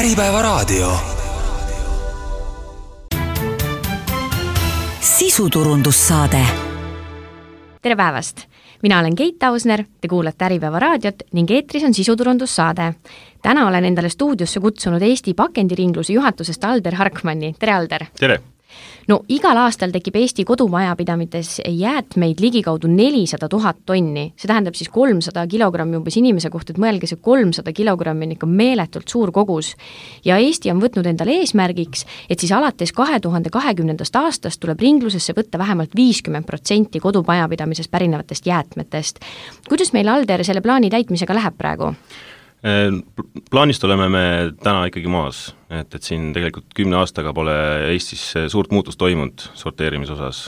Äripäevaraadio. Sisuturundussaade. Tere päevast! Mina olen Keit Ausner, te kuulate Äripäevaraadiot ning eetris on sisuturundussaade. Täna olen endale stuudiosse kutsunud Eesti pakendiringluse juhatusest Alder Harkmanni. Tere, Alder! Tere! No igal aastal tekib Eesti kodumajapidamites jäätmeid ligikaudu 400 000 tonni. See tähendab siis 300 kilogrammi umbes inimese kohta, et mõelge, see 300 kilogrammi on ikka meeletult suur kogus. Ja Eesti on võtnud endale eesmärgiks, et siis alates 2020. aastast tuleb ringlusesse võtta vähemalt 50% kodumajapidamisest pärinevatest jäätmetest. Kuidas meil, Alder, selle plaani täitmisega läheb praegu? Plaanist oleme me täna ikkagi maas, et siin tegelikult 10 aastaga pole Eestis suurt muutust toimunud sorteerimise osas.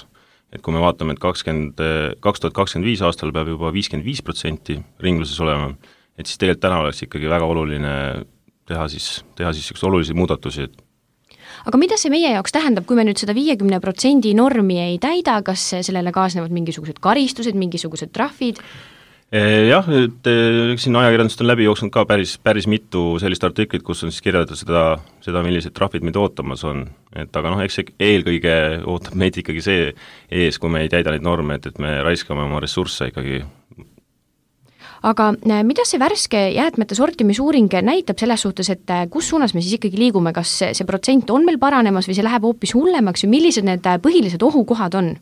Et kui me vaatame, et 2025 aastal peab juba 55% ringluses olema, et siis tegelikult täna oleks ikkagi väga oluline teha siis olulisi muudatusi. Aga mida see meie jaoks tähendab, kui me nüüd seda 50% normi ei täida, kas sellele kaasnevad mingisugused karistused, mingisugused trahvid? Jah, siin ajakirjandust on läbi jooksnud ka päris mitu sellist artiklit, kus on siis kirjeldatud seda, millised trahvid meid ootamas on. Aga eks eelkõige ootab meid ikkagi see ees, kui me ei täida neid norme, et me raiskame oma ressursse ikkagi. Aga mida see värske jäätmete sortimisuuring näitab selles suhtes, et kus suunas me siis ikkagi liigume, kas see protsent on meil paranemas või see läheb hoopis hullemaks või millised need põhilised ohukohad on?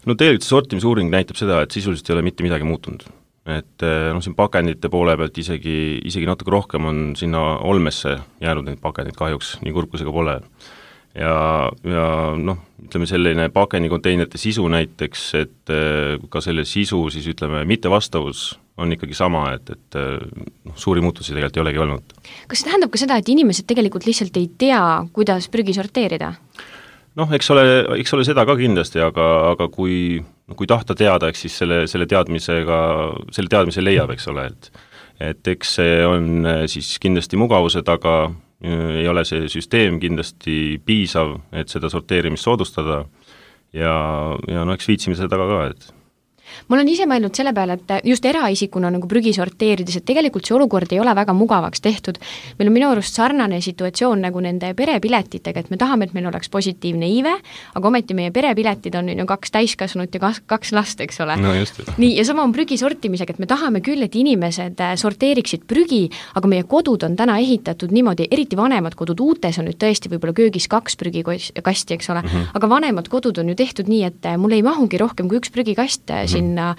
No tegelikult see sortimisuuring näitab seda, et sisuliselt ei ole mitte midagi muutunud. Et siin pakendite poole pealt isegi natuke rohkem on sinna olmesse jäänud neid pakendid kahjuks, nii kurkusega pole. Ja ütleme selline pakendikonteinerite sisu näiteks, et ka selle sisu siis ütleme mittevastavus on ikkagi sama, et suuri muutusi tegelikult ei olegi olnud. Kas see tähendab ka seda, et inimesed tegelikult lihtsalt ei tea, kuidas prügi sorteerida? Eks ole seda ka kindlasti, aga kui tahta teada, eks siis selle teadmise leiab, eks ole, et eks see on siis kindlasti mugavuse taga, ei ole see süsteem kindlasti piisav, et seda sorteerimist soodustada ja eks viitsime seda taga ka, et ma olen ise mõelnud selle peale, et just eraisikuna nagu prügi sorteerides, et tegelikult see olukord ei ole väga mugavaks tehtud. Meil on minu arust sarnane situatsioon nagu nende perepiletitega, et me tahame, et meil oleks positiivne iive, aga ometi meie perepiletid on 2 täiskasvanut ja 2 last, eks ole. No just. Nii, ja sama on prügi sortimisega, et me tahame küll, et inimesed sorteeriksid prügi, aga meie kodud on täna ehitatud niimoodi, eriti vanemad kodud, uutes on nüüd tõesti võib-olla köögis 2 prügikasti, eks ole, aga vanemad kodud on ju tehtud nii, et mul ei mahugi rohkem kui 1 prügikast sinna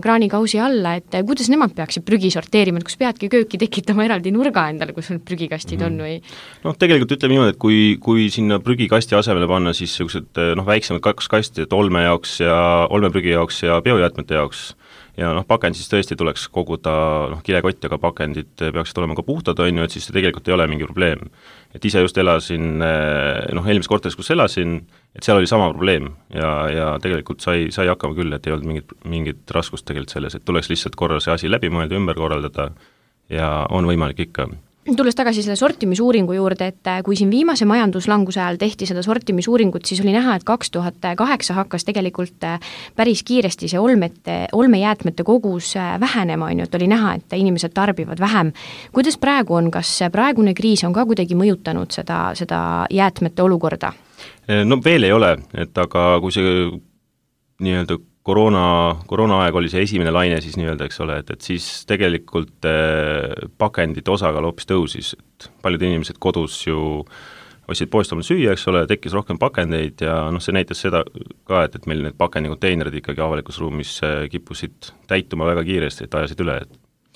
kraanikausi alla, et kuidas nemad peaksid prügi sorteerima, et kus peadki kööki tekitama eraldi nurga endale, kus need prügikastid on või? Tegelikult ütleme niimoodi, et kui sinna prügikasti asemele panna siis sellised väiksemad 2 kasti, et olmeprügi jaoks ja biojäätmete jaoks ja pakend siis tõesti tuleks koguda kilekott, aga pakendid peaksid olema ka puhtad, et siis see tegelikult ei ole mingi probleem. Et ise just elasin, eelmises korteris, kus elasin, et seal oli sama probleem ja tegelikult sai hakkama küll, et ei olnud mingit raskust tegelikult selles, et tuleks lihtsalt korra see asi läbi mõelda, ümber korraldada ja on võimalik ikka. Tulles tagasi selle sortimisuuringu juurde, et kui siin viimase majanduslanguse ajal tehti seda sortimisuuringut, siis oli näha, et 2008 hakkas tegelikult päris kiiresti see olmejäätmete kogus vähenema, et oli näha, et inimesed tarbivad vähem. Kuidas praegu on, kas praegune kriis on ka kuidagi mõjutanud seda jäätmete olukorda? Veel ei ole, aga kui see nii-öelda koroonaaeg oli see esimene laine siis nii-öelda, eks ole, et siis tegelikult pakendite osakaal hoopis tõusis, et paljud inimesed kodus ju ostsid poest oma süüa, eks ole, tekkis rohkem pakendeid ja see näitas seda ka, et meil need pakendikonteinerid ikkagi avalikus ruumis kippusid täituma väga kiiresti, et ajasid üle,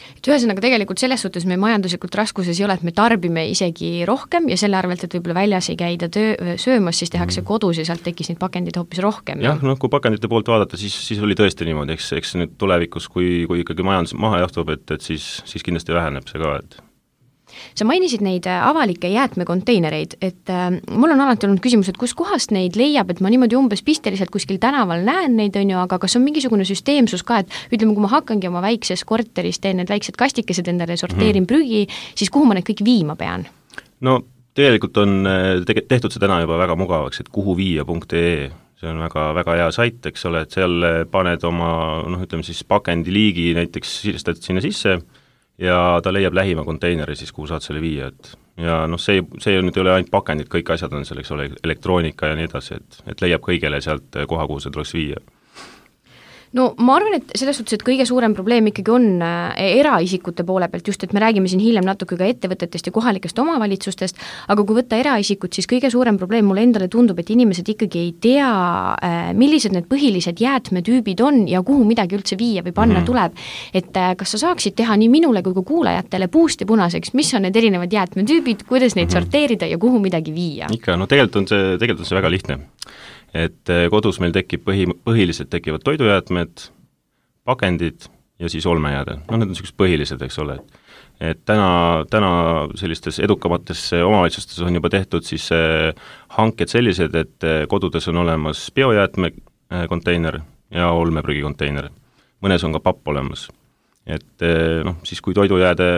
Et ühesõnaga tegelikult selles suhtes me majanduslikult raskuses ei ole, et me tarbime isegi rohkem ja selle arvelt, et võib-olla väljas ei käida söömas, siis tehakse kodus ja sealt tekkis neid pakendid hoopis rohkem. Jah, kui pakendite poolt vaadata, siis oli tõesti niimoodi, eks nüüd tulevikus, kui ikkagi majandus maha jahtub, et siis kindlasti väheneb see ka, et Sa mainisid neid avalikke jäätmekonteinereid, et mul on alati olnud küsimus, et kus kohast neid leiab, et ma niimoodi umbes pisteliselt kuskil tänaval näen neid, aga kas on mingisugune süsteemsus ka, et ütleme, kui ma hakkangi oma väikses korteris, teen need väiksed kastikesed endale, sorteerin prügi, siis kuhu ma need kõik viima pean? Tegelikult on tehtud see täna juba väga mugavaks, et kuhuviia.ee, see on väga hea sait, eks ole, et seal paned oma, ütleme siis pakendiliigi näiteks siristad sinna sisse ja ta leiab lähima konteineri siis, kuhu saad selle viia, et ja noh, see nüüd ei ole ainult pakendid, kõik asjad on seal, eks ole, elektroonika ja nii edasi, et leiab kõigele sealt koha, kuhu see tuleks viia. No ma arvan, et selles suhtes, et kõige suurem probleem ikkagi on eraisikute poole pealt, just et me räägime siin hiljem natuke ka ettevõtetest ja kohalikest omavalitsustest, aga kui võtta eraisikut, siis kõige suurem probleem mulle endale tundub, et inimesed ikkagi ei tea, millised need põhilised jäätmetüübid on ja kuhu midagi üldse viia või panna tuleb. Et kas sa saaksid teha nii minule kui ka kuulajatele puust ja punaseks, mis on need erinevad jäätmetüübid, kuidas neid sorteerida ja kuhu midagi viia? Ikka, no tegelikult on see väga lihtne. Et kodus meil põhiliselt tekivad toidujäätmed, pakendid ja siis olmejääde. No need on sellised põhilised, eks ole. Et täna sellistes edukamates omavalitsustes on juba tehtud siis hanked sellised, et kodudes on olemas biojäätme konteiner ja olmeprügikonteineri. Mõnes on ka papp olemas. Et siis kui toidujääde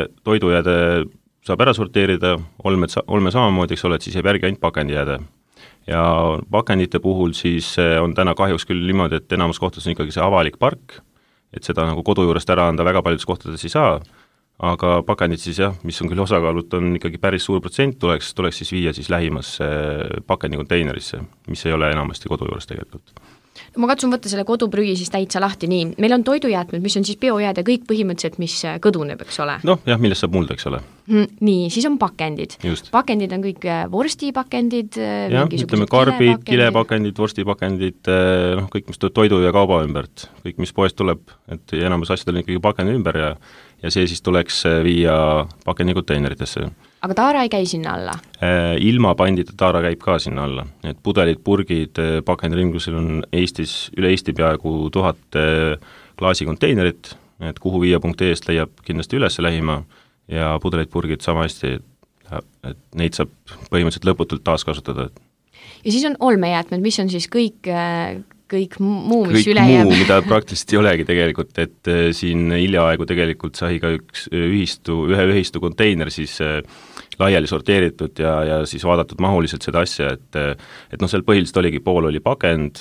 saab ära sorteerida, olme samamoodi, eks ole, et siis jääb järgi ainult pakendijääde. Ja pakendite puhul siis on täna kahjuks küll niimoodi, et enamus kohtades on ikkagi see avalik park, et seda nagu kodu juurest ära anda väga paljudes kohtades ei saa, aga pakendid siis jah, mis on küll osakaalut, on ikkagi päris suur protsent, tuleks siis viia siis lähimasse pakendikonteinerisse, mis ei ole enamasti kodu juures tegelikult. No ma katsun võtta selle koduprügi siis täitsa lahti nii. Meil on toidujäätmed, mis on siis biojääde kõik põhimõtteliselt, mis kõduneb, eks ole? Noh, jah, millest saab mulda, eks ole. Nii, siis on pakendid. Just. Pakendid on kõik vorstipakendid, jah, ütleme karbid, kilepakendid, vorstipakendid, kõik, mis tuleb toidu ja kauba ümbert, kõik, mis poest tuleb, et enamus asjad on ikkagi pakendi ümber ja see siis tuleks viia pakendikonteineritesse. Aga taara ei käi sinna alla? Ilma pandita taara käib ka sinna alla. Et pudelid, purgid, pakendiringlusel on üle Eesti peaaegu 1000 klaasikonteinerit, et kuhu viia.ee-st leiab kindlasti üles lähima ja pudelid, purgid sama hästi, et neid saab põhimõtteliselt lõputult taaskasutada. Ja siis on olmejäätmed, mis on siis kõik muu, mis üle jääb. Kõik muu, mida praktiliselt ei olegi tegelikult, et siin hiljaaegu tegelikult sai ka ühe ühistu konteiner siis laiali sorteeritud ja siis vaadatud mahuliselt seda asja, et seal põhiliselt oligi, pool oli pakend,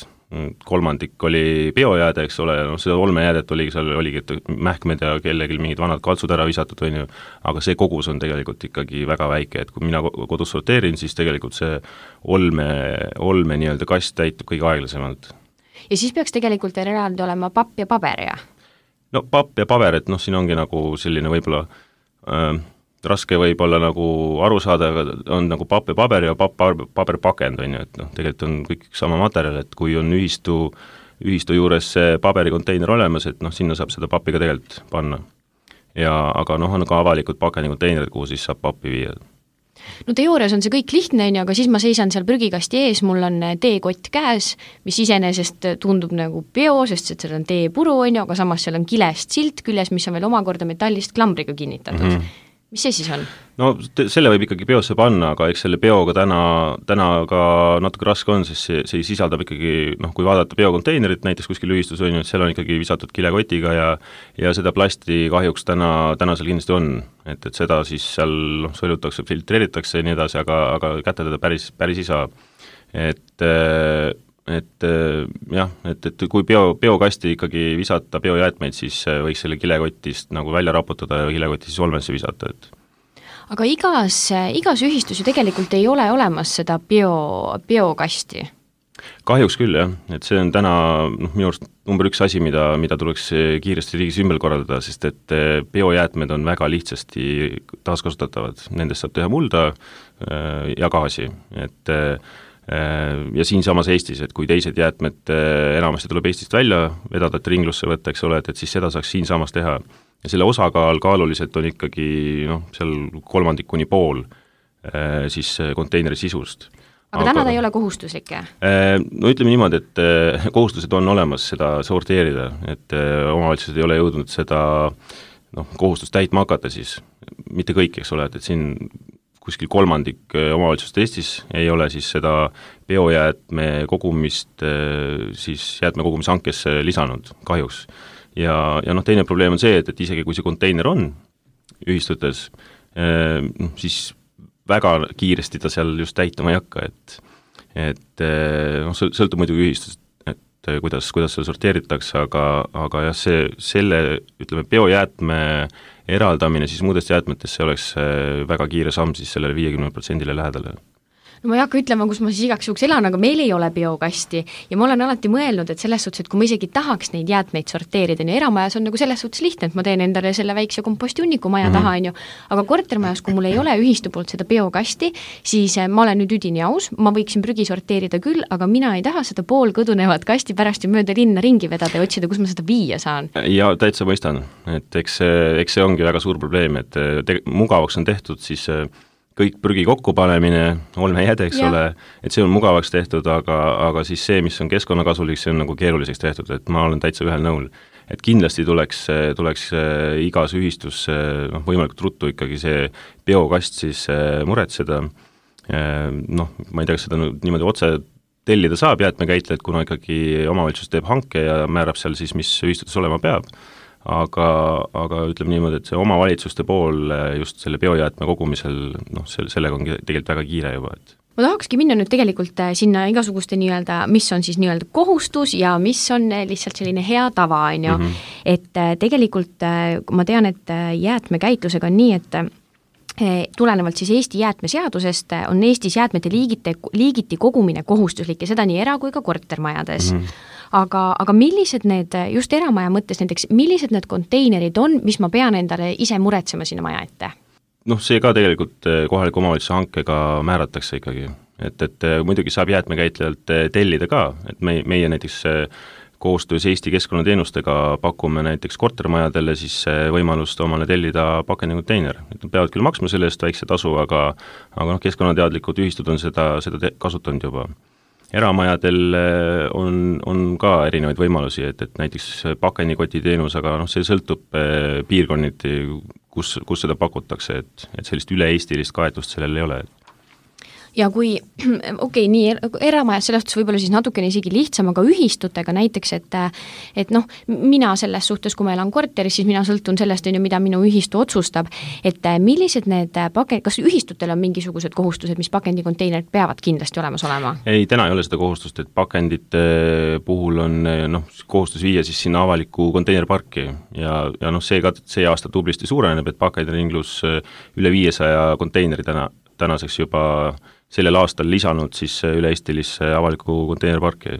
kolmandik oli biojääde, eks ole, seda olmejäädet oligi mähkmed ja kellelgi mingid vanad kaltsud ära visatud, aga see kogus on tegelikult ikkagi väga väike, et kui mina kodus sorteerin, siis tegelikult see olme nii-öelda kast täitub kõige aeglasemalt. Ja siis peaks tegelikult eraldi olema papp ja paber, ja? No papp ja paber, et siin ongi nagu selline võib-olla raske võib-olla nagu aru saada, aga on nagu papp ja paber ja paberpakend, et tegelikult on kõik sama materjal, et kui on ühistu juures see paberikonteiner olemas, et sinna saab seda pappi ka tegelikult panna. Aga on ka avalikud pakendikonteinerid, kuhu siis saab pappi viia. No teoorias on see kõik lihtne, aga siis ma seisan seal prügikasti ees, mul on teekott käes, mis iseenesest tundub nagu bio, sest seal on teepuru, aga samas seal on kilest silt küljes, mis on veel omakorda metallist klambriga kinnitatud. Mis see siis on? No selle võib ikkagi biosse panna, aga eks selle bioga täna ka natuke raske on, sest see sisaldab ikkagi, kui vaadata biokonteinerit näiteks kuskil ühistus on, seal on ikkagi visatud kilekotiga ja seda plasti kahjuks täna seal kindlasti on, et seda siis seal sõelutakse, filtreeritakse ja nii edasi, aga kätte teda päris ei saa. Et kui biokasti ikkagi visata biojäätmeid, siis võiks selle kilekotist nagu välja raputada ja kilekoti siis olmesse visata. Aga igas ühistus ju tegelikult ei ole olemas seda biokasti? Kahjuks küll, jah. Et see on täna minu arust number 1 asi, mida tuleks kiiresti riigis ümber korraldada, sest et biojäätmed on väga lihtsasti taaskasutatavad. Nendest saab teha mulda ja gaasi, ja siinsamas Eestis, et kui teised jäätmed enamasti tuleb Eestist välja vedada, et ringlusse võtta, eks ole, et siis seda saaks siinsamas teha. Ja selle osakaal kaaluliselt on ikkagi seal 3/4 kuni pool siis konteineri sisust. Aga täna ta ei ole kohustuslik? No ütleme niimoodi, et kohustused on olemas seda sorteerida, et omavalitsused ei ole jõudnud seda kohustust täitma hakata siis, mitte kõik, eks ole, et siin kuskil 3/3 omavalitsust Eestis ei ole siis seda biojäätme kogumist siis jäätmekogumise hankesse lisanud, kahjuks. Ja teine probleem on see, et isegi kui see konteiner on ühistutes, siis väga kiiresti ta seal just täituma ei hakka, et sõltub muidugi kuidas seda sorteeritakse, aga jah, selle ütleme, biojäätme eraldamine siis muudest jäätmetest, see oleks väga kiire samm siis sellele 50% lähedale. No ma ei hakka ütlema, kus ma siis igaks juhuks elan, aga meil ei ole biokasti ja ma olen alati mõelnud, et selles suhtes, et kui ma isegi tahaks neid jäätmeid sorteerida, nii eramajas on nagu selles suhtes lihtne, et ma teen endale selle väikse kompostunniku maja taha, on ju, aga kortermajas, kui mul ei ole ühistu poolt seda biokasti, siis ma olen nüüd üdini aus, ma võiksin prügi sorteerida küll, aga mina ei taha seda poolkõdunevat kasti pärast ju mööda linna ringi vedada ja otsida, kus ma seda viia saan. Ja täitsa mõistan, et eks see ongi väga suur probleem, et mugavaks on tehtud siis kõik prügi kokkupanemine, olmejääde, eks ole, et see on mugavaks tehtud, aga siis see, mis on keskkonnakasulik, see on nagu keeruliseks tehtud, et ma olen täitsa ühel nõul. Et kindlasti tuleks igas ühistus võimalikult ruttu ikkagi see biokast siis muretseda. Ma ei tea, kas seda niimoodi otse tellida saab jäätmekäitlejad, kuna ikkagi omavalitsus teeb hanke ja määrab seal siis, mis ühistutes olema peab. Aga ütleme niimoodi, et see omavalitsuste pool just selle biojäätme kogumisel, sellega on tegelikult väga kiire juba, et ma tahakski minna nüüd tegelikult sinna igasuguste nii-öelda, mis on siis nii-öelda kohustus ja mis on lihtsalt selline hea tava, on ju. Et tegelikult ma tean, et jäätmekäitlusega on nii, et tulenevalt siis Eesti jäätmeseadusest on Eestis jäätmete liigiti kogumine kohustuslik ja seda nii era- kui ka kortermajades. Aga millised need, just eramaja mõttes näiteks, millised need konteinerid on, mis ma pean endale ise muretsema sinna maja ette? See ka tegelikult kohaliku omavalitsuse hankega määratakse ikkagi, et muidugi saab jäätmekäitlejalt tellida ka, et meie näiteks koostöös Eesti keskkonnateenustega pakume näiteks kortermajadele siis võimalust omale tellida pakendikonteineri. Nad peavad küll maksma selle eest väikse tasu, aga keskkonnateadlikud ühistud on seda kasutanud juba. Eramajadel on ka erinevaid võimalusi, et näiteks pakendikoti teenus, aga see sõltub piirkonniti, kus seda pakutakse, et sellist üle-eestilist kaetust sellel ei ole. Ja kui, nii eramajas selles suhtes võib-olla siis natukene isegi lihtsam, aga ühistutega näiteks, et mina selles suhtes, kui ma elan korteris, siis mina sõltun sellest, mida minu ühistu otsustab, et millised need kas ühistutel on mingisugused kohustused, mis pakendikonteinerid peavad kindlasti olemas olema? Ei, täna ei ole seda kohustust, et pakendite puhul on kohustus viia siis sinna avaliku konteinerparki ja see aasta tublisti suureneb, et pakenderinglus üle 500 konteineri tänaseks juba sellel aastal lisanud siis üle-eestilisse avaliku konteinerparki,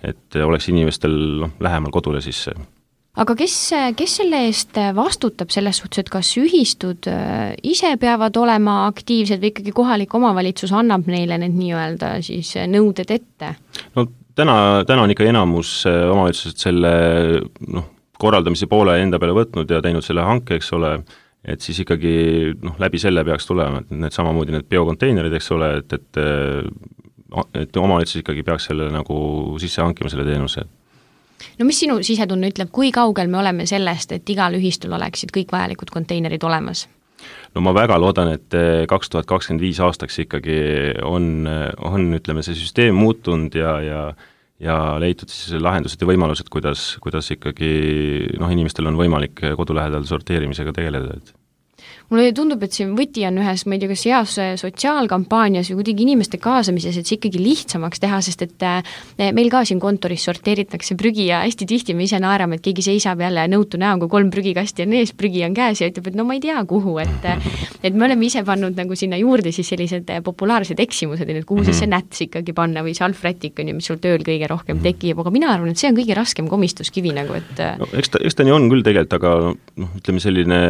et oleks inimestel lähemal kodule sisse. Aga kes selle eest vastutab selles suhtes, et kas ühistud ise peavad olema aktiivsed või ikkagi kohalik omavalitsus annab neile need nii-öelda siis nõuded ette? Täna on ikka enamus omavalitsused selle korraldamise poole enda peale võtnud ja teinud selle hanke, eks ole, et siis ikkagi läbi selle peaks tulema, et need samamoodi need biokonteinerid, eks ole, et omavalitsus ikkagi peaks selle nagu sisse hankima selle teenuse. Mis sinu sisetunne ütleb, kui kaugel me oleme sellest, et igal ühistul oleksid kõik vajalikud konteinerid olemas? Ma väga loodan, et 2025 aastaks ikkagi on ütleme, see süsteem muutunud ja leitud siis lahendused ja võimalused, kuidas ikkagi inimestel on võimalik kodu lähedal sorteerimisega tegeleda. Mulle tundub, et see võti on ühes, ma ei tea, kas heas sotsiaalkampaanias või kuidagi inimeste kaasamises, et see ikkagi lihtsamaks teha, sest et meil ka siin kontoris sorteeritakse prügi ja hästi tihti me ise naerame, et keegi seisab jälle nõutu näo, kui 3 prügikasti on ees, prügi on käes ja ütleb, et ma ei tea kuhu, et me oleme ise pannud nagu sinna juurde siis sellised populaarsed eksimused, et kuhu siis see näts ikkagi panna või see alfrätik on ju, mis sul tööl kõige rohkem tekib, aga mina arvan, et see on kõige raskem komistuskivi nagu, et eks ta nii on küll tegelikult, aga ütleme selline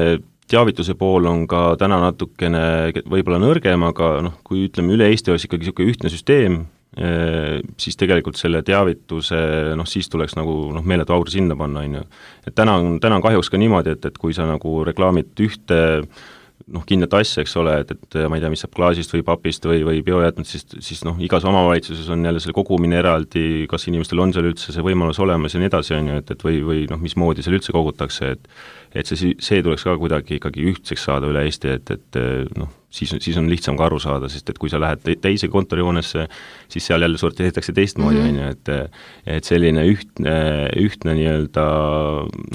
teavituse pool on ka täna natukene võib-olla nõrgem, aga kui ütleme üle Eesti oleks ikkagi niisugune ühtne süsteem, siis tegelikult selle teavituse, siis tuleks nagu meeletu aur sinna panna, on ju. Et täna on kahjuks ka niimoodi, et kui sa nagu reklaamid ühte kindlat asja, eks ole, et ma ei tea, mis saab klaasist või papist või biojäätmed, siis igas omavalitsuses on jälle selle kogumine eraldi, kas inimestel on seal üldse see võimalus olemas ja nii edasi, on ju, et või mismoodi seal üldse kogutakse, et see tuleks ka kuidagi ikkagi ühtseks saada üle Eesti, et siis on lihtsam ka aru saada, sest et kui sa lähed teise kontorihoonesse, siis seal jälle sorteeritakse teistmoodi, on ju, et selline ühtne nii-öelda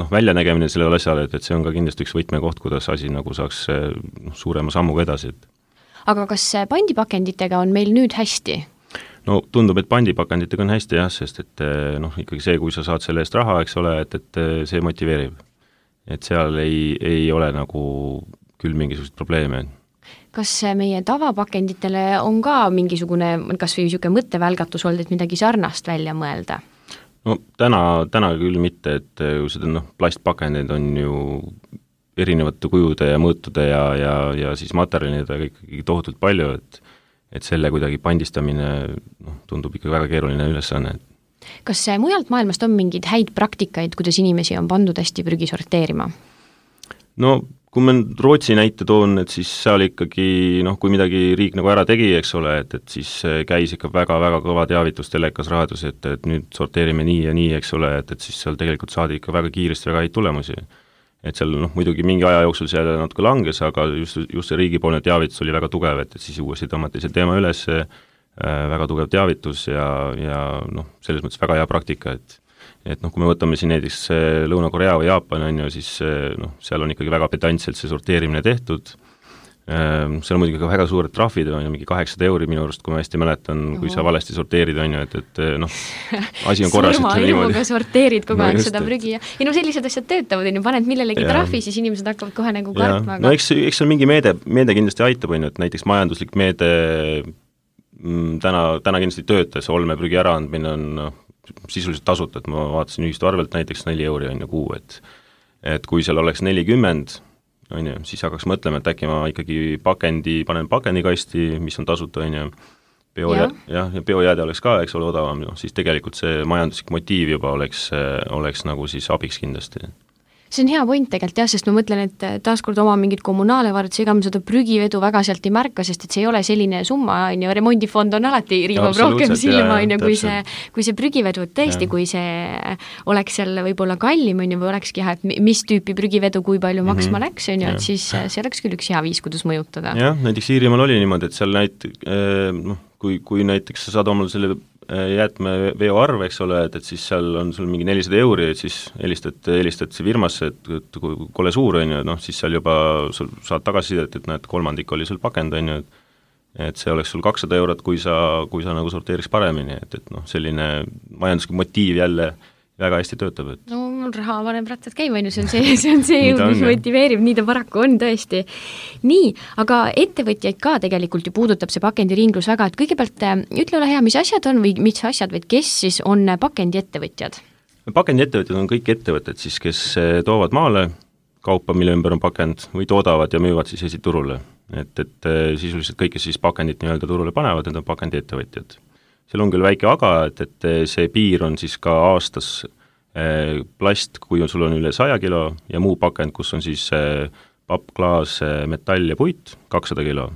väljanägemine sellele asjale, et see on ka kindlasti üks võtmekoht, kuidas asi nagu saaks suurema sammuga edasi. Aga kas pandipakenditega on meil nüüd hästi? no tundub, et pandipakenditega on hästi jah, sest et noh, ikkagi see, kui sa saad selle eest raha, eks ole, et see motiveerib. Et seal ei ole nagu küll mingisugust probleeme. Kas meie tavapakenditele on ka mingisugune, kas või niisugune mõttevälgatus olnud, et midagi sarnast välja mõelda? No täna küll mitte, et seda plastpakendid on ju erinevate kujude ja mõõtude ja siis materjalidega ikkagi tohutult palju, et selle kuidagi pandistamine tundub ikka väga keeruline ülesanne. Kas mujalt maailmast on mingeid häid praktikaid, kuidas inimesi on pandud hästi prügi sorteerima? No kui ma Rootsi näite toon, et siis seal ikkagi, kui midagi riik nagu ära tegi, eks ole, et siis käis ikka väga-väga kõva teavitus telekas raadios, et nüüd sorteerime nii ja nii, eks ole, et siis seal tegelikult saadi ikka väga kiiresti väga häid tulemusi. Et seal muidugi mingi aja jooksul seal natuke langes, aga just see riigipoolne teavitus oli väga tugev, et siis uuesti tõmmati see teema üles, väga tugev teavitus ja selles mõttes väga hea praktika, et kui me võtame siin näiteks Lõuna-Korea või Jaapan, on ju, siis seal on ikkagi väga pedantselt see sorteerimine tehtud. Seal on muidugi ka väga suured trahvid, on ju, mingi 800 € minu arust, kui ma hästi mäletan, kui sa valesti sorteerid, on ju, et asi on korras. Surma ilmuga sorteerid kogu aeg seda prügi ja sellised asjad töötavad, on ju, paned millelegi trahvi, siis inimesed hakkavad kohe nagu kartma. No eks seal mingi meede kindlasti aitab, on ju, et näiteks majanduslik meede täna kindlasti töötas, olmeprügi äraandmine on sisuliselt tasuta, et ma vaatasin ühistu arvelt näiteks 4 € on ju kuu, et kui seal oleks 40, on ju, siis hakkaks mõtlema, et äkki ma ikkagi panen pakendikasti, mis on tasuta, on ju, ja biojääde oleks ka, eks ole, odavam, siis tegelikult see majanduslik motiiv juba oleks nagu siis abiks kindlasti. See on hea point tegelikult jah, sest ma mõtlen, et taaskord oma mingid kommunaalevarad, ega ma seda prügivedu väga sealt ei märka, sest et see ei ole selline summa, on ju, remondifond on alati riivab rohkem silma, on ju, kui see prügivedu, et tõesti, kui see oleks seal võib-olla kallim, on ju, või olekski jah, et mis tüüpi prügivedu, kui palju maksma läks, on ju, et siis see oleks küll üks hea viis, kuidas mõjutada. Jah, näiteks Iirimaal oli niimoodi, et seal kui näiteks sa saad omal selle jäätmeveo arv, eks ole, et siis seal on sul mingi 400 €, et siis helistad see firmasse, et kui kole suur on ju, siis seal juba sul saad tagasisidet, et näed, 1/3 oli sul pakend, on ju, et see oleks sul 200 €, kui sa nagu sorteeriks paremini, et selline majanduslik motiiv jälle väga hästi töötab. No mul raha paneb rattad käima, see on see jõud, mis motiveerib, nii ta paraku on tõesti. Nii, aga ettevõtjaid ka tegelikult ju puudutab see pakendiringlus väga, et kõigepealt ütle ole hea, mis asjad on või mis asjad, või kes siis on pakendiettevõtjad? Pakendiettevõtjad on kõik ettevõtted siis, kes toovad maale kaupa, mille ümber on pakend, või toodavad ja müüvad siis esiturule. Et sisuliselt kõik, kes siis pakendit nii-öelda turule panevad, need on pakendiettevõtjad. Seal on küll väike aga, et see piir on siis ka aastas plast, kui sul on üle 100 kilo ja muu pakend, kus on siis papp, klaas, metall ja puit, 200 kilo.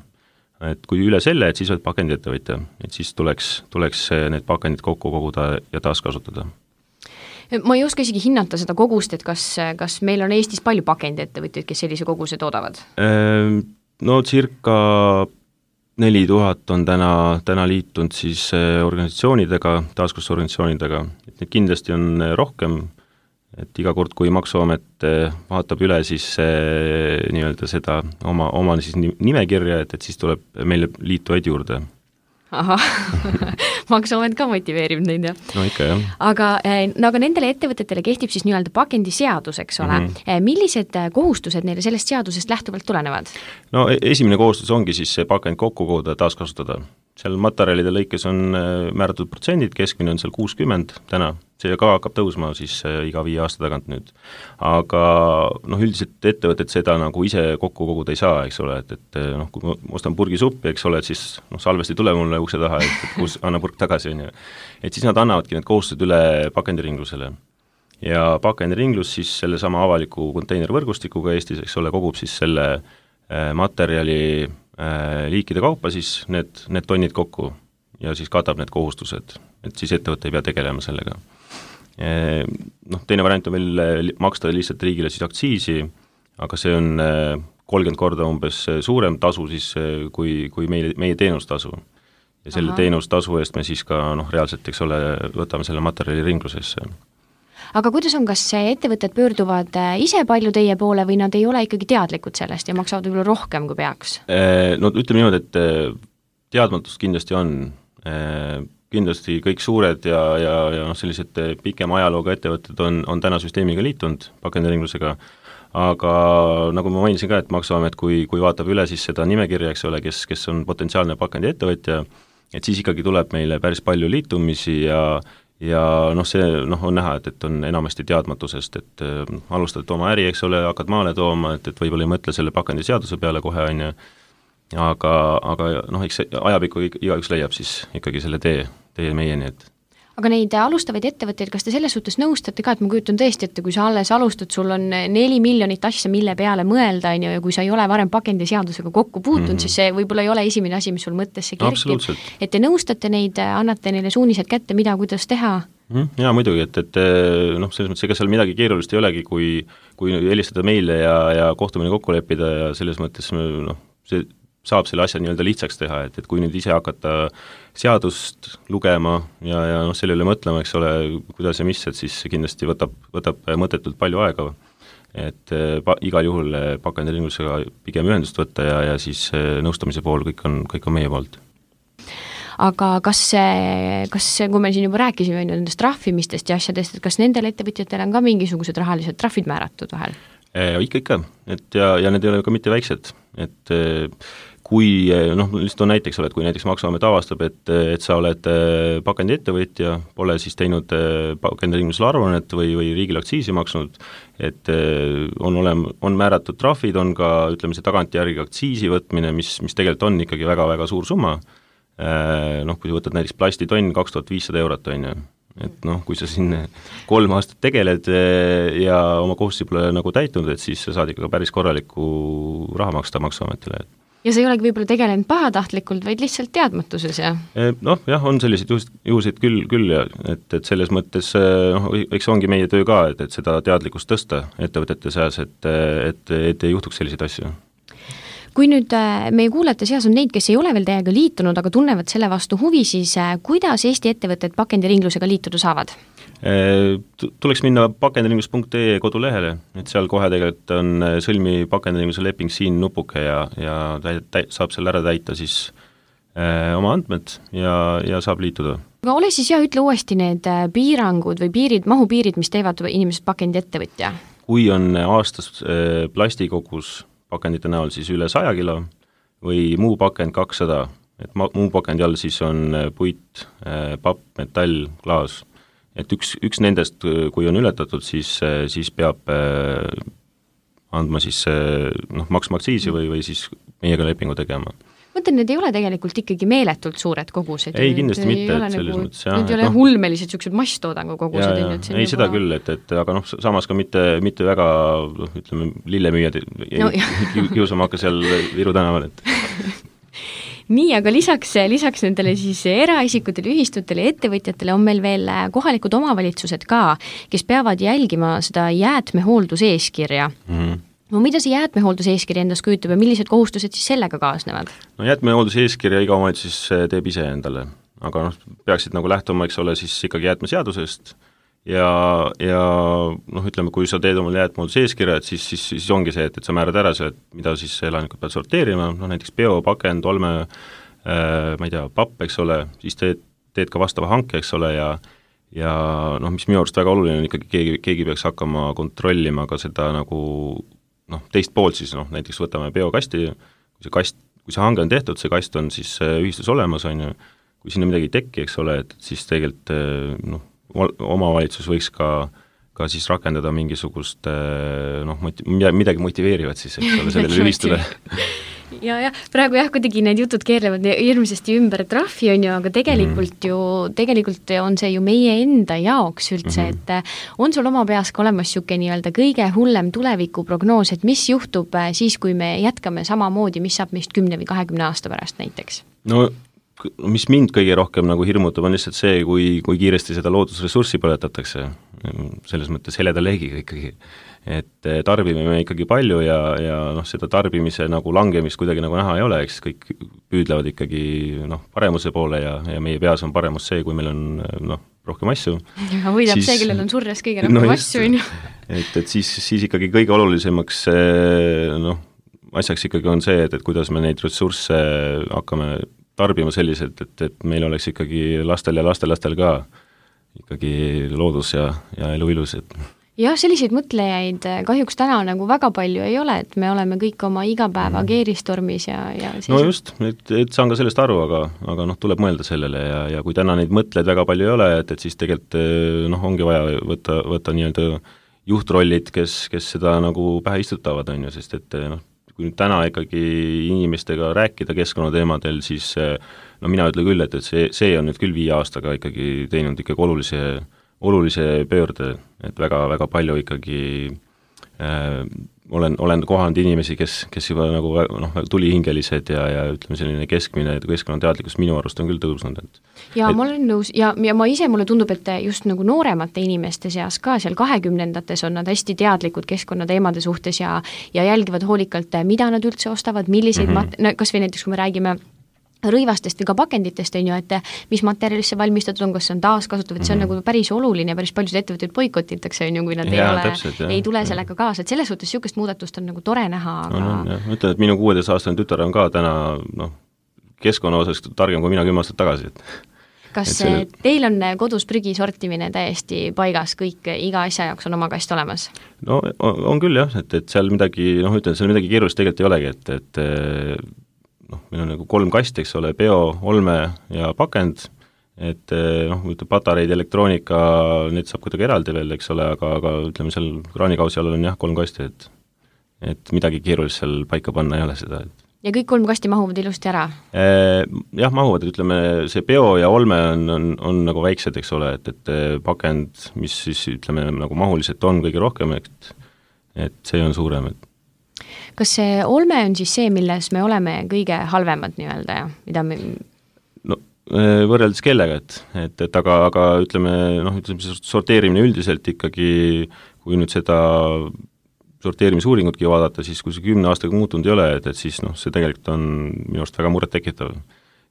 Et kui üle selle, et siis oled pakendiettevõtja, et siis tuleks need pakendid kokku koguda ja taaskasutada. Ma ei oska isegi hinnata seda kogust, et kas meil on Eestis palju pakendiettevõtjaid, kes sellise koguse toodavad? No circa 4000 on täna liitunud siis organisatsioonidega, taaskasutusorganisatsioonidega, et neid kindlasti on rohkem, et iga kord, kui Maksuamet vaatab üle siis nii-öelda seda oma siis nimekirja, et siis tuleb meile liituvaid juurde. Ahah, Maksuamet ka motiveerib neid, jah? No ikka, jah. Aga nendele ettevõtetele kehtib siis nii-öelda pakendiseadus, eks ole. Millised kohustused neile sellest seadusest lähtuvalt tulenevad? No esimene kohustus ongi siis see pakend kokku koguda ja taaskasutada. Seal materjalide lõikes on määratud protsendid, keskmine on seal 60 täna, see ka hakkab tõusma siis iga 5 aasta tagant nüüd. Aga üldiselt ettevõtted seda nagu ise kokku koguda ei saa, eks ole, et kui ma ostan purgi suppi, eks ole, et siis salvesti tule mulle ukse taha, et anna purk tagasi, on ju. Et siis nad annavadki need kohustused üle pakendiringlusele. Ja pakendiringlus siis selle sama avaliku konteinervõrgustikuga Eestis, eks ole, kogub siis selle materjali liikide kaupa siis need tonnid kokku ja siis katab need kohustused, et siis ettevõte ei pea tegelema sellega. Teine variant on veel maksta lihtsalt riigile siis aktsiisi, aga see on 30 korda umbes suurem tasu siis kui meie teenustasu. Ja selle teenustasu eest me siis ka reaalselt, eks ole, võtame selle materjali ringlusesse. Aga kuidas on, kas ettevõtted pöörduvad ise palju teie poole või nad ei ole ikkagi teadlikud sellest ja maksavad võib-olla rohkem, kui peaks? No ütleme niimoodi, et teadmatust kindlasti on. kindlasti kõik suured ja noh, sellised pikema ajalooga ettevõtted on täna süsteemiga liitunud pakendiringlusega, aga nagu ma mainisin ka, et Maksuamet, kui vaatab üle siis seda nimekirja, eks ole, kes on potentsiaalne pakendiettevõtja, et siis ikkagi tuleb meile päris palju liitumisi ja noh, see on näha, et on enamasti teadmatusest, et alustad oma äri, eks ole, hakkad maale tooma, et võib-olla ei mõtle selle pakendiseaduse peale kohe, on ju, aga noh, eks ajapikku igaüks leiab siis ikkagi selle tee meieni, et aga neid alustavaid ettevõtteid, kas te selles suhtes nõustate ka, et ma kujutan tõesti, et kui sa alles alustad, sul on 4 miljonit asja, mille peale mõelda, on ju, ja kui sa ei ole varem pakendiseadusega kokku puutunud, siis see võib-olla ei ole esimene asi, mis sul mõttesse kerkib. Et te nõustate neid, annate neile suunised kätte, mida, kuidas teha? Jaa, muidugi, et noh, selles mõttes, ega seal midagi keerulist ei olegi, kui helistada meile ja kohtumine kokku leppida ja selles mõttes noh, see saab selle asja nii-öelda lihtsaks teha, et kui nüüd ise hakata seadust lugema ja noh, selle üle mõtlema, eks ole, kuidas ja mis, et siis kindlasti võtab mõttetult palju aega, et igal juhul pakendiringlusega pigem ühendust võtta ja siis nõustamise pool kõik on meie poolt. Aga kas, kui me siin juba rääkisime nendest trahvimistest ja asjadest, et kas nendel ettevõtjatel on ka mingisugused rahalised trahvid määratud vahel? Ikka, et ja need ei ole ka mitte väiksed, et kui noh, lihtsalt on näiteks, kui näiteks Maksuamet avastab, et sa oled pakendiettevõtja, pole siis teinud pakendiringlusele aruannet või riigile aktsiisi maksnud, et on määratud trahvid, on ka, ütleme, see tagantjärgi aktsiisi võtmine, mis tegelikult on ikkagi väga-väga suur summa, noh, kui võtad näiteks plastitonn 2500 €, on ju, et noh, kui sa siin 3 aastat tegeled ja oma kohustusi pole nagu täitnud, et siis sa saad ikka päris korralikku raha maksta Maksuametile. Ja sa ei olegi võib-olla tegelenud pahatahtlikult, vaid lihtsalt teadmatuses, jah? Noh, jah, on selliseid juhuseid küll ja et selles mõttes, noh, eks ongi meie töö ka, et seda teadlikkust tõsta ettevõtete seas, et ei juhtuks selliseid asju. Kui nüüd meie kuulajate seas on neid, kes ei ole veel teiega liitunud, aga tunnevad selle vastu huvi, siis kuidas Eesti ettevõtted pakendiringlusega liituda saavad? Tuleks minna pakendiringlus.ee kodulehele, et seal kohe tegelikult on sõlmi pakendiringluse leping siin nupuke ja saab seal ära täita siis oma andmed ja saab liituda. Aga ole siis ütle uuesti need piirangud või mahupiirid, mis teevad inimesed pakendiettevõtja? Kui on aastas plastikogus pakendite näol siis üle 100 kilo või muu pakend 200, et muu pakendi all siis on puit, papp, metall, klaas. Et üks nendest, kui on ületatud, siis peab andma siis maksma aktsiisi või siis meiega lepingu tegema. Mõtlen, need ei ole tegelikult ikkagi meeletult suured kogused. Ei, kindlasti mitte, et selles mõttes jah. Need ei ole hulmelised sellised masstoodangu kogused. Ei, seda küll, et aga noh, samas ka mitte väga, ütleme, lillemüüjad kiusama hakka seal Viru tänaval, et nii, aga lisaks nendele siis eraisikutele, ühistutele ja ettevõtjatele on meil veel kohalikud omavalitsused ka, kes peavad jälgima seda jäätmehoolduseeskirja. No mida see jäätmehoolduseeskirja endas kujutab ja millised kohustused siis sellega kaasnevad? No jäätmehoolduseeskirja iga omavalitsus teeb ise endale, aga noh, peaksid nagu lähtuma, eks ole, siis ikkagi jäätmeseadusest ja noh, ütleme, kui sa teed omal jäätmehoolduseeskirja, et siis ongi see, et sa määrad ära see, mida siis elanikud peavad sorteerima, noh näiteks biopakend, olme, ma ei tea, papp, eks ole, siis teed ka vastava hanke, eks ole, ja noh, mis minu arust väga oluline on ikkagi, keegi peaks hakkama kontrollima ka seda nagu noh, teist poolt siis, noh näiteks võtame biokasti, kui see hange on tehtud, see kast on siis ühistus olemas, on ju, kui sinna midagi ei teki, eks ole, et siis tegelikult noh, omavalitsus võiks ka siis rakendada mingisugust noh, midagi motiveerivat siis, eks ole, sellele ühistule. Ja praegu kuidagi need jutud keerlevad hirmsasti ümber trahvi, on ju, aga tegelikult on see ju meie enda jaoks üldse, et on sul oma peas ka olemas siuke nii-öelda kõige hullem tulevikuprognoos, et mis juhtub siis, kui me jätkame samamoodi, mis saab meist 10 või 20 aasta pärast näiteks? No mis mind kõige rohkem nagu hirmutab, on lihtsalt see, kui kiiresti seda loodusressurssi põletatakse, selles mõttes heleda leegiga ikkagi. Et tarbime me ikkagi palju ja noh, seda tarbimise nagu langemist kuidagi nagu näha ei ole, eks kõik püüdlevad ikkagi noh, paremuse poole ja meie peas on paremus see, kui meil on noh, rohkem asju. Ja võidab see, kellel on surres kõige rohkem asju. Et siis ikkagi kõige olulisemaks noh, asjaks ikkagi on see, et kuidas me neid ressursse hakkame tarbima selliselt, et meil oleks ikkagi lastel ja lastelastel ka ikkagi loodus ja elu ilus, et jah, selliseid mõtlejaid kahjuks täna nagu väga palju ei ole, et me oleme kõik oma igapäeva keeristormis ja no just, et saan ka sellest aru, aga tuleb mõelda sellele ja kui täna neid mõtlejaid väga palju ei ole, et siis tegelikult ongi vaja võtta nii-öelda juhtrollid, kes seda nagu pähe istutavad, on ju, sest et kui nüüd täna ikkagi inimestega rääkida keskkonnateemadel, siis mina ütlen küll, et see on nüüd küll 5 aastaga ikkagi teinud ikkagi olulise pöörde, et väga palju ikkagi olen kohanud inimesi, kes juba nagu tulihingelised ja ütleme, selline keskmine keskkonnateadlikkus minu arust on küll tõusnud. Ja ma olen nõus ja mulle tundub, et just nagu nooremate inimeste seas ka seal 20-ndates on nad hästi teadlikud keskkonnateemade suhtes ja jälgivad hoolikalt, mida nad üldse ostavad, milliseid kas või näiteks, kui me räägime rõivastest või ka pakenditest, on ju, et mis materjalist see valmistatud on, kas see on taaskasutav, et see on nagu päris oluline ja päris paljud ettevõtted boikotitakse, on ju, kui nad ei tule sellega kaasa, et selles suhtes niisugust muudatust on nagu tore näha, aga ma ütlen, et minu 16-aastane tütar on ka täna keskkonna osas targem kui mina 10 aastat tagasi, et kas teil on kodus prügi sortimine täiesti paigas, kõik, iga asja jaoks on oma kast olemas? No on küll jah, et seal midagi, seal midagi keerulist tegelikult ei olegi, et meil on nagu 3 kasti, eks ole, bio, olme ja pakend, et patareid, elektroonika, need saab kuidagi eraldi veel, eks ole, aga ütleme seal kraanikausi all on jah 3 kasti, et midagi keerulist seal paika panna ei ole seda. Ja kõik 3 kasti mahuvad ilusti ära? Jah, mahuvad, ütleme, see bio ja olme on nagu väiksed, eks ole, et pakend, mis siis ütleme nagu mahuliselt on kõige rohkem, et see on suurem, et kas see olme on siis see, milles me oleme kõige halvemad nii-öelda ja mida me võrreldes kellega, et aga ütleme, sorteerimine üldiselt ikkagi, kui nüüd seda sorteerimisuuringutki vaadata, siis kui see 10 aastaga muutunud ei ole, et siis see tegelikult on minu arust väga muret tekitav.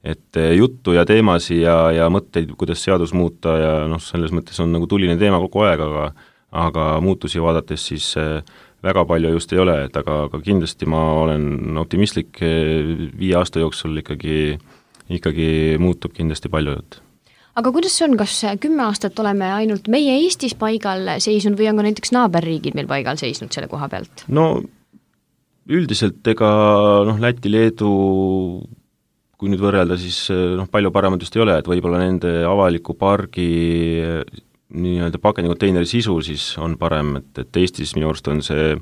Et juttu ja teemasi ja mõtteid, kuidas seadus muuta ja selles mõttes on nagu tuline teema kogu aeg, aga muutusi vaadates siis väga palju just ei ole, et aga kindlasti ma olen optimistlik 5 aasta jooksul ikkagi muutub kindlasti palju. Aga kuidas see on, kas 10 aastat oleme ainult meie Eestis paigal seisnud või on ka näiteks naaberriigid meil paigal seisnud selle koha pealt? No üldiselt ega Läti, Leedu, kui nüüd võrrelda, siis palju paremad just ei ole, et võib-olla nende avaliku pargi nii-öelda pakendikonteineri sisu siis on parem, et Eestis minu arust on see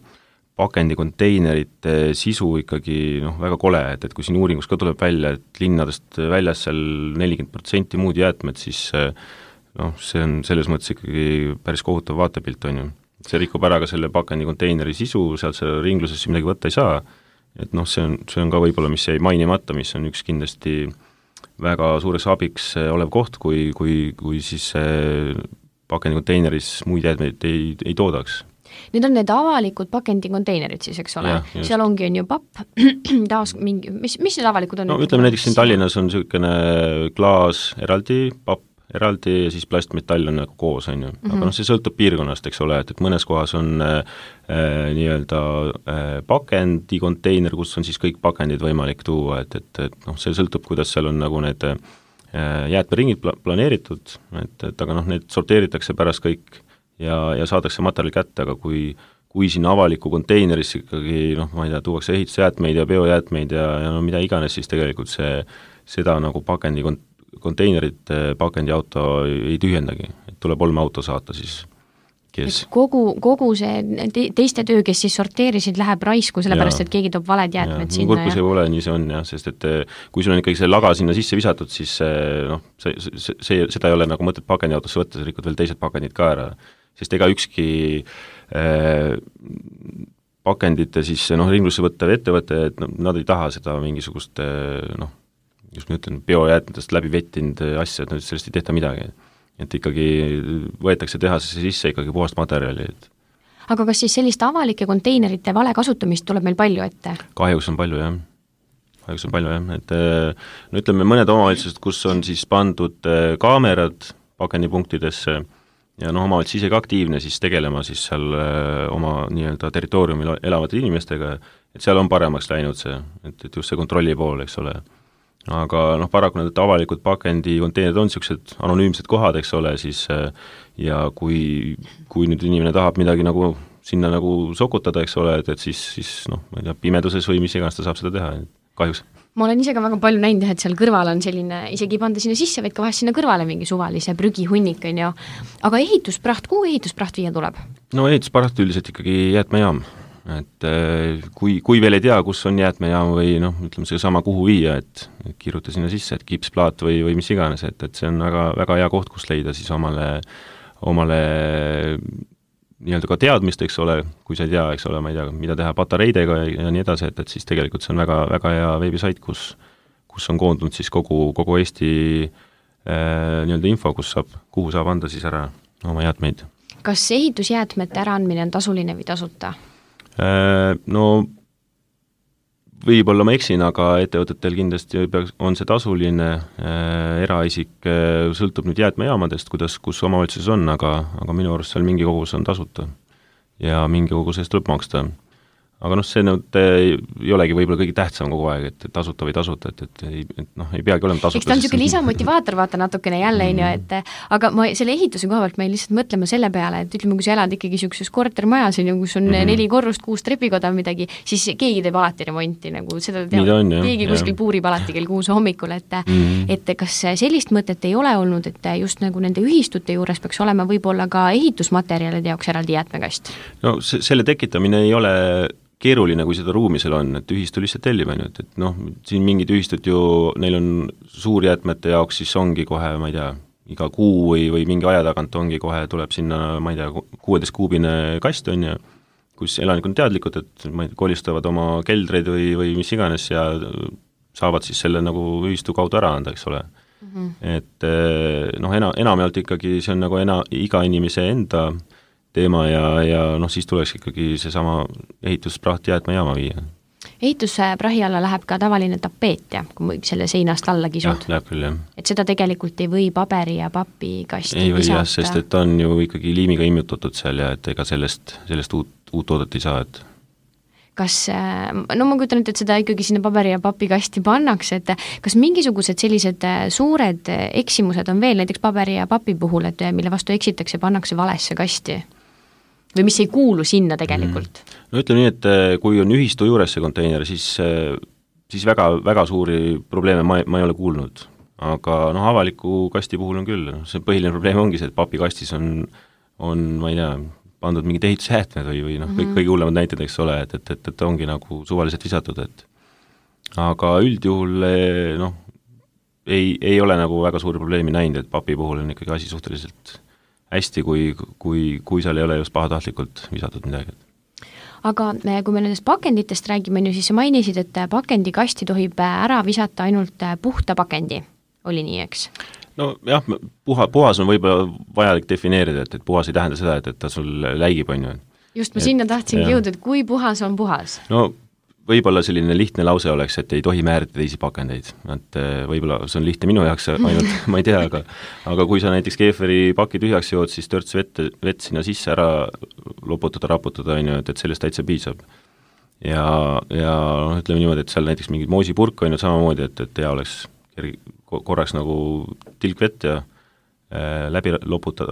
pakendikonteinerite sisu ikkagi väga kole, et kui siin uuringus ka tuleb välja, et linnadest väljas seal 40% muud jäätmed, siis see on selles mõttes ikkagi päris kohutav vaatepilt, on ju. See rikub ära ka selle pakendikonteineri sisu, sealt see ringlusesse midagi võtta ei saa, et see on ka võib-olla, mis jäi mainimata, mis on üks kindlasti väga suureks abiks olev koht, kui siis pakendikonteineris muid jäätmeid ei toodaks. Need on need avalikud pakendikonteinerid siis, eks ole? Seal ongi on ju papp, taas mingi, mis need avalikud on? No ütleme näiteks siin Tallinnas on niisugune klaas eraldi, papp eraldi ja siis plastmetall on nagu koos, on ju. Aga see sõltub piirkonnast, eks ole, et mõnes kohas on nii-öelda pakendikontteiner, kus on siis kõik pakendid võimalik tuua, et see sõltub, kuidas seal on nagu need jäätmeringid planeeritud, et aga need sorteeritakse pärast kõik ja saadakse materjali kätte, aga kui sinna avaliku konteinerisse ikkagi, ma ei tea, tuuakse ehitusjäätmeid ja biojäätmeid ja mida iganes, siis tegelikult seda nagu konteinerit pakendiauto ei tühjendagi, et tuleb olmeauto saata siis, kes kogu see teiste töö, kes siis sorteerisid, läheb raisku, sellepärast et keegi toob valed jäätmed sinna. Kurkus ei ole, nii see on jah, sest et kui sul on ikkagi see laga sinna sisse visatud, siis seda ei ole nagu mõtet pakendiautosse võtta, sa rikud veel teised pakendid ka ära, sest ega ükski pakendite siis ringlusse võttav ettevõte, et nad ei taha seda mingisugust just ma ütlen, biojäätmetest läbi vettinud asja, et sellest ei tehta midagi. Et ikkagi võetakse tehasesse sisse ikkagi puhast materjali. Aga kas siis sellist avalike konteinerite vale kasutamist tuleb meil palju ette? Kahjuks on palju, jah. Et ütleme mõned omavalitsused, kus on siis pandud kaamerad pakendipunktidesse ja omavalitsus ise ka aktiivne siis tegelema siis seal oma nii-öelda territooriumil elavate inimestega, et seal on paremaks läinud see, et just see kontrolli pool, eks ole. aga noh, paraku need avalikud pakendikonteinerid on niisugused anonüümsed kohad, eks ole, siis ja kui nüüd inimene tahab midagi nagu sinna nagu sokutada, eks ole, et siis noh, ma ei tea, pimeduses või mis iganes ta saab seda teha, kahjuks. Ma olen ise ka väga palju näinud, et seal kõrval on selline, isegi ei panda sinna sisse, vaid ka vahest sinna kõrvale mingi suvalise prügihunnik, on ju. Aga ehituspraht, kuhu ehituspraht viia tuleb? No ehituspraht üldiselt ikkagi jäätmejaam. Et kui veel ei tea, kus on jäätmejaam või noh, ütleme see sama kuhu viia, et kirjuta sinna sisse, et kipsplaat või mis iganes, et see on väga, väga hea koht, kus leida siis omale nii-öelda ka teadmist, eks ole, kui sa ei tea, eks ole, ma ei tea, mida teha patareidega ja nii edasi, et siis tegelikult see on väga, väga hea veebisait, kus on koondunud siis kogu Eesti nii-öelda info, kuhu saab anda siis ära oma jäätmeid. Kas ehitusjäätmete äraandmine on tasuline või tasuta? No võib-olla ma eksin, aga ettevõtetel kindlasti on see tasuline, eraisik sõltub nüüd jäätmejaamadest, kus omavalitsuses on, aga minu arust seal mingi kogus on tasuta ja mingi kogus eest tuleb maksta. Aga noh, see nüüd ei olegi võib-olla kõige tähtsam kogu aeg, et tasuta või tasuta, et noh, ei peagi olema tasuta. Eks ta on niisugune lisamotivaator, vaata natukene jälle, aga ma selle ehituse koha pealt ma lihtsalt mõtlema selle peale, et ütleme, kui sa elad ikkagi niisuguses kortermajas, kus on 4 korrust, 6 trepikoda midagi, siis keegi teeb alati remonti, nagu seda teab, keegi kuskil puurib alati kell 6 hommikul, et kas sellist mõtet ei ole olnud, et just nagu nende ühistute juures peaks olema võib-olla ka ehitusmaterjalide jaoks eraldi jäätmekast? No selle tekitamine ei ole keeruline, kui seda ruumi seal on, et ühistu lihtsalt tellib, et noh, siin mingid ühistud ju, neil on suurjäätmete jaoks, siis ongi kohe, ma ei tea, iga kuu või mingi aja tagant ongi kohe, tuleb sinna, ma ei tea, 16-kuubine kast on ja kus elanikud on teadlikud, et ma ei tea, kolistavad oma keldreid või mis iganes ja saavad siis selle nagu ühistu kaudu ära anda, eks ole. Et noh, enamjaolt ikkagi see on nagu iga inimese enda teema ja noh, siis tuleks ikkagi seesama ehituspraht jäätmejaama viia. Ehitusprahi alla läheb ka tavaline tapeet ja kui selle seinast alla kisud. Jah, läheb küll, jah. Et seda tegelikult ei või paberi ja papi kasti ei või jah, sest et on ju ikkagi liimiga immutatud seal ja et ega sellest uut toodet ei saa, et kas, no ma kujutan, et seda ikkagi sinna paberi ja papi kasti pannakse, et kas mingisugused sellised suured eksimused on veel näiteks paberi ja papi puhul, et mille vastu eksitakse, pannakse valesse kasti? Või mis ei kuulu sinna tegelikult? No ütleme nii, et kui on ühistu juures see konteiner, siis väga, väga suuri probleeme ma ei ole kuulnud. Aga noh, avaliku kasti puhul on küll. See põhiline probleem ongi see, et papikastis on ma ei tea, pandud mingid ehitusjäätmed või noh, kõige hullemad näited, eks ole, et ongi nagu suvaliselt visatud, et aga üldjuhul noh, ei ole nagu väga suuri probleemi näinud, et papi puhul on ikkagi asi suhteliselt hästi, kui seal ei ole just pahatahtlikult visatud midagi. Aga kui me nendest pakenditest räägime, siis sa mainisid, et pakendikasti tohib ära visata ainult puhta pakendi. Oli nii, eks? No jah, puhas on võib-olla vajalik defineerida, et puhas ei tähenda seda, et ta sul läigib, on ju. Just, ma sinna tahtsingi jõuda, et kui puhas on puhas? No võib-olla selline lihtne lause oleks, et ei tohi määrida teisi pakendeid, et võib-olla see on lihtne minu jaoks ainult, ma ei tea, aga kui sa näiteks keeferi paki tühjaks jood, siis törts vett sinna sisse ära raputada, on ju, et sellest täitsa piisab. Ja ütleme niimoodi, et seal näiteks mingid moosipurk on ju samamoodi, et hea oleks korraks nagu tilk vett ja läbi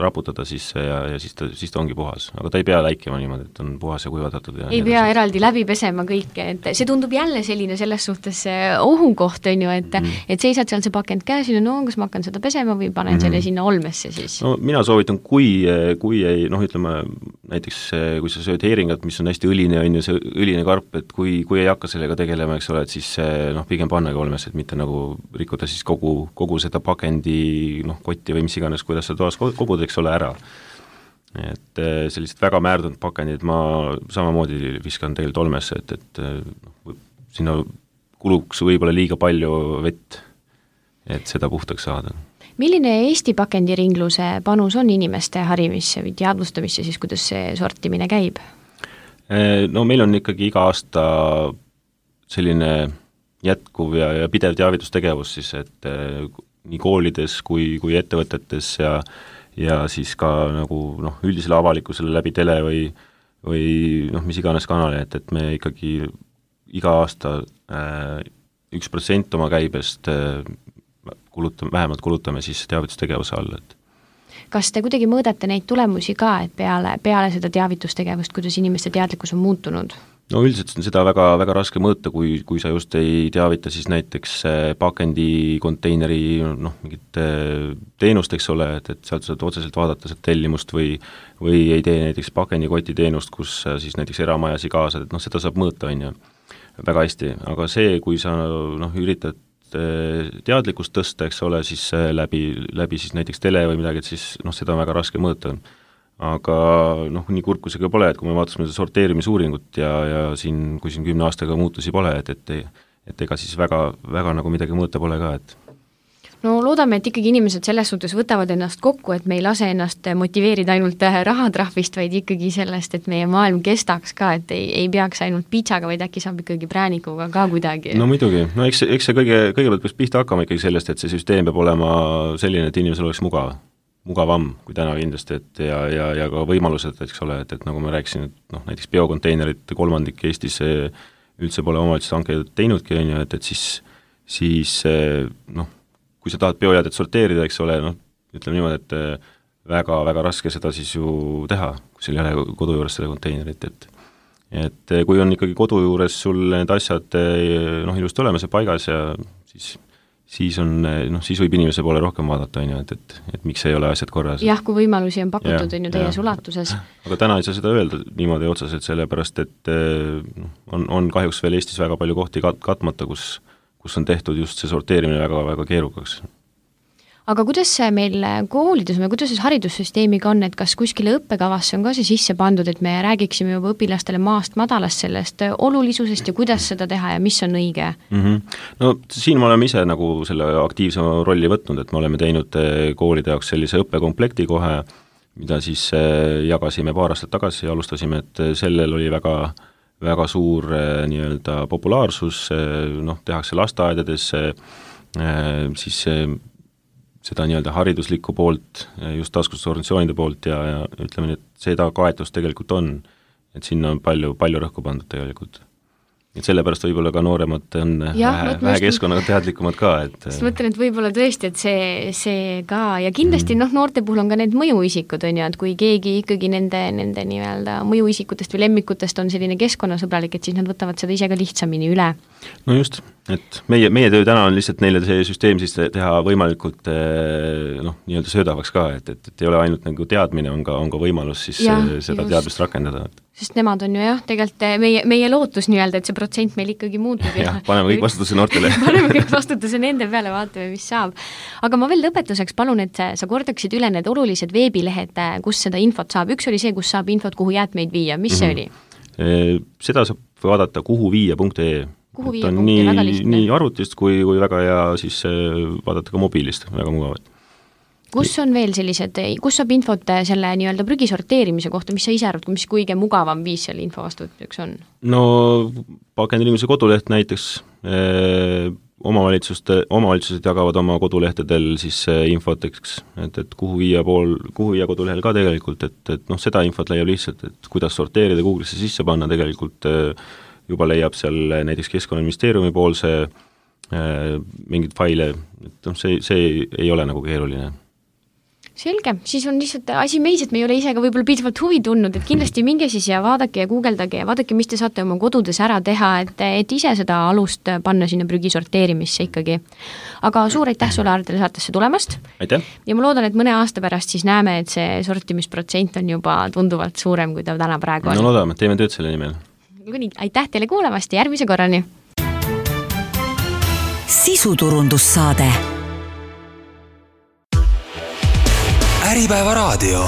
raputada sisse ja siis ta ongi puhas. Aga ta ei pea läikima niimoodi, et on puhas ja kuivatatud. Ei pea eraldi läbi pesema kõike, et see tundub jälle selline selles suhtes ohukoht, on ju, et seisad seal see pakend käes, no kas ma hakkan seda pesema või panen selle sinna olmesse siis? No mina soovitan, kui ei, noh ütleme, näiteks kui sa sööd heeringat, mis on hästi õline, on ju see õline karp, et kui ei hakka sellega tegelema, eks ole, et siis noh, pigem pannagi olmesse, et mitte nagu rikkuda siis kogu seda pakendi kotti või mis iganes, kuidas sa toas kogud, eks ole, ära. Et sellised väga määrdunud pakendid ma samamoodi viskan tegelikult olmesse, et sinna kuluks võib-olla liiga palju vett, et seda puhtaks saada. Milline Eesti pakendiringluse panus on inimeste harimisse või teadvustamisse siis, kuidas see sortimine käib? No meil on ikkagi iga aasta selline jätkuv ja pidev teavitustegevus siis, et nii koolides kui ettevõtetes ja siis ka nagu üldisele avalikkusele läbi tele või mis iganes kanali, et me ikkagi iga aasta 1% oma käibest vähemalt kulutame siis teavitustegevuse all, et kas te kuidagi mõõdate neid tulemusi ka, et peale seda teavitustegevust, kuidas inimeste teadlikkus on muutunud? No üldiselt on seda väga, väga raske mõõta, kui sa just ei teavita siis näiteks pakendi konteineri mingit teenust, eks ole, et sealt saad otseselt vaadata seda tellimust või ei tee näiteks pakendikoti teenust, kus siis näiteks eramajasi kaasad, et seda saab mõõta, on ju, väga hästi, aga see, kui sa üritad teadlikkust tõsta, eks ole, siis läbi siis näiteks tele või midagi, et siis seda on väga raske mõõta. Aga nii kurb kui see ka pole, et kui me vaatasime seda sorteerimisuuringut ja siin, kui 10 aastaga muutusi pole, et ega siis väga nagu midagi mõõta pole ka, et no loodame, et ikkagi inimesed selles suhtes võtavad ennast kokku, et me ei lase ennast motiveerida ainult rahatrahvist, vaid ikkagi sellest, et meie maailm kestaks ka, et ei peaks ainult pitsaga, vaid äkki saab ikkagi präänikuga ka kuidagi. No muidugi, no eks see kõigepealt peaks pihta hakkama ikkagi sellest, et see süsteem peab olema selline, et inimesel oleks mugavam kui täna kindlasti, et ja ka võimalused, eks ole, et nagu ma rääkisin, et näiteks biokonteinerid 3% Eestis üldse pole omavalitsuste hankeid teinudki, on ju, et siis kui sa tahad biojäädet sorteerida, eks ole, ütleme niimoodi, et väga-väga raske seda siis ju teha, kui sul ei ole kodu juures seda konteinerit, et kui on ikkagi kodu juures sul need asjad ilusti olemas ja paigas ja siis võib inimese poole rohkem vaadata, on ju, et miks ei ole asjad korras. Jah, kui võimalusi on pakutud, on ju täies ulatuses. Aga täna ei saa seda öelda niimoodi otseselt, sellepärast, et on kahjuks veel Eestis väga palju kohti katmata, kus on tehtud just see sorteerimine väga-väga keerukaks. Aga kuidas see meil koolides või kuidas see haridussüsteemiga on, et kas kuskile õppekavasse on ka see sisse pandud, et me räägiksime juba õpilastele maast madalast sellest olulisusest ja kuidas seda teha ja mis on õige? No siin me oleme ise nagu selle aktiivsema rolli võtnud, et me oleme teinud koolide jaoks sellise õppekomplekti kohe, mida siis jagasime paar aastat tagasi ja alustasime, et sellel oli väga suur nii-öelda populaarsus, tehakse lasteaedades, siis seda nii-öelda hariduslikku poolt, just taskustusorganisatsioonide poolt ja ütleme, et seda kaetust tegelikult on, et sinna on palju rõhku pandud tegelikult. Et sellepärast võib-olla ka nooremad on vähe keskkonnaga teadlikumad ka, et sest mõtlen, et võib-olla tõesti, et see ka ja kindlasti noorte puhul on ka need mõjuisikud, on ju, et kui keegi ikkagi nende nii-öelda mõjuisikutest või lemmikutest on selline keskkonnasõbralik, et siis nad võtavad seda ise ka lihtsamini üle. No just, et meie töö täna on lihtsalt neile see süsteem siis teha võimalikult nii-öelda söödavaks ka, et ei ole ainult nagu teadmine, on ka võimalus siis seda teadmist rakendada. Sest nemad on ju tegelikult meie lootus nii-öelda, et see protsent meil ikkagi muutub. Ja paneme kõik vastutuse noortele. Paneme kõik vastutuse nende peale, vaatame, mis saab. Aga ma veel lõpetuseks palun, et sa kordaksid üle need olulised veebilehed, kus seda infot saab. Üks oli see, kus saab infot, kuhu jäätmeid viia. Mis see oli? Seda saab vaadata kuhuviia.ee. Nii arvutist kui väga hea siis vaadata ka mobiilist, väga mugavad. Kus on veel sellised, kus saab infot selle nii-öelda prügi sorteerimise kohta, mis sa ise arvad, mis kõige mugavam viis selle info vastuvõtmiseks on? No pakendinimese koduleht näiteks, omavalitsused jagavad oma kodulehtedel siis infot, et kuhu viia kodulehel ka tegelikult, et seda infot leiab lihtsalt, et kuidas sorteerida Google'isse sisse panna, tegelikult juba leiab seal näiteks Keskkonnaministeeriumi poolse mingid faile, et see ei ole nagu keeruline. Selge, siis on lihtsalt asi meis, et me ei ole ise ka võib-olla piisavalt huvi tundnud, et kindlasti minge siis ja vaadake ja guugeldage ja vaadake, mis te saate oma kodudes ära teha, et ise seda alust panna sinna prügi sorteerimisse ikkagi. Aga suur aitäh sulle, Aardele, saatesse tulemast. Aitäh! Ja ma loodan, et mõne aasta pärast siis näeme, et see sortimisprotsent on juba tunduvalt suurem, kui ta täna praegu on. No loodame, teeme tööd selle nimel. Aitäh teile kuulamast ja järgmise korrani! Sisuturundussaade Äripäeva raadio